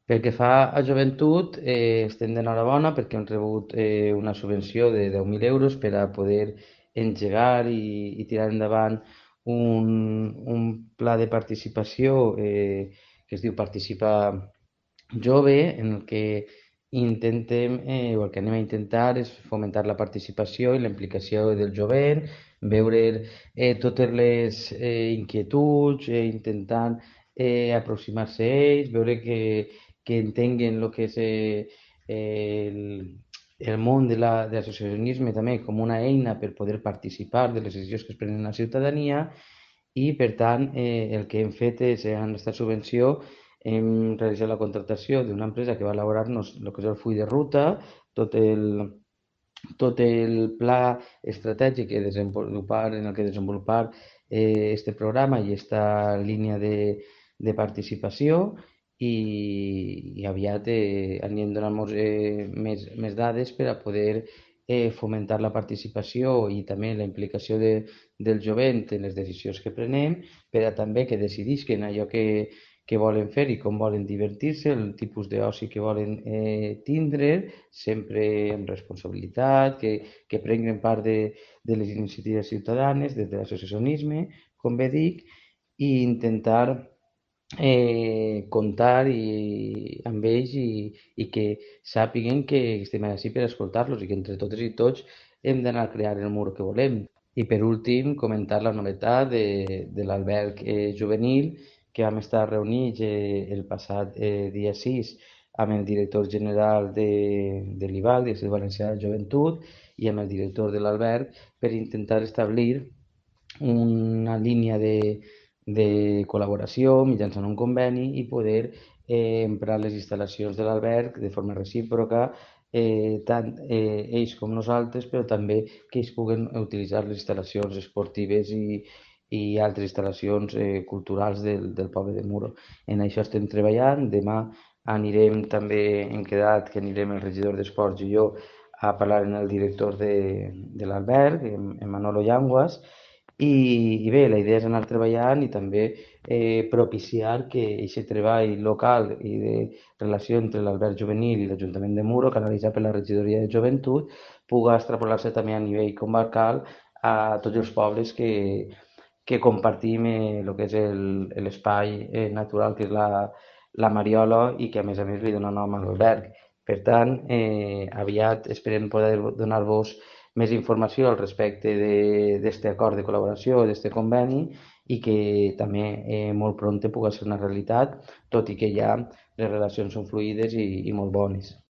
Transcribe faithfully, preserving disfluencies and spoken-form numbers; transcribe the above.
Pel que fa a joventut, eh, estem d'enhorabona perquè hem rebut eh, una subvenció de deu mil euros per a poder engegar i, i tirar endavant un, un pla de participació eh, que es diu Participa Jove, en el que intentem, eh, o el que anem a intentar és fomentar la participació i la implicació del jovent, veure eh, totes les eh, inquietuds, eh, intentant eh, aproximar-se a ells, veure que, que entenguen el que és eh, el, el món de la, de l'associacionisme també com una eina per poder participar de les decisions que es prenen a la ciutadania i, per tant, eh, el que hem fet és, eh, en aquesta subvenció, hem realitzat la contractació d'una empresa que va elaborar-nos el que és el full de ruta, tot el, tot el pla estratègic que desenvolupar, en el que desenvolupar eh, este programa i esta línia de, de participació i, i aviat eh, anirem donant eh, més, més dades per a poder eh, fomentar la participació i també la implicació de, del jovent en les decisions que prenem, per a també que decidisquen allò que, que volen fer i com volen divertir-se, el tipus d'oci que volen eh, tindre, sempre amb responsabilitat, que, que prenguen part de, de les iniciatives ciutadanes, des de l'associacionisme, com bé dic, i intentar eh, comptar i, amb ells i, i que sàpiguen que estem així per escoltar-los i que entre totes i tots hem d'anar a crear el mur que volem. I per últim, comentar la novetat de, de l'alberg eh, juvenil que vam estar reunits eh, el passat eh, dia sis amb el director general de, de l'I V A C, d'Institut Valencià de Joventut, i amb el director de l'alberg per intentar establir una línia de, de col·laboració mitjançant un conveni i poder eh, emprar les instal·lacions de l'alberg de forma recíproca, eh, tant eh, ells com nosaltres, però també que ells puguen utilitzar les instal·lacions esportives i, i altres instal·lacions eh, culturals del, del poble de Muro. En això estem treballant. Demà anirem també, hem quedat que anirem el regidor d'Esports i jo a parlar amb el director de, de l'alberg, en, en Manolo Llanguas, i, i bé, la idea és anar treballant i també eh, propiciar que aquest treball local i de relació entre l'alberg juvenil i l'Ajuntament de Muro, canalitzat per la regidoria de joventut, puga extrapolar-se també a nivell comarcal a tots els pobles que, que compartim eh, el que és l'espai eh, natural que és la, la Mariola i que a més a més li dona nom a l'alberg. Per tant, eh, aviat esperem poder donar-vos més informació al respecte d'aquest acord de col·laboració, d'aquest conveni, i que també eh, molt pront pugui ser una realitat, tot i que ja les relacions són fluides i, i molt bones.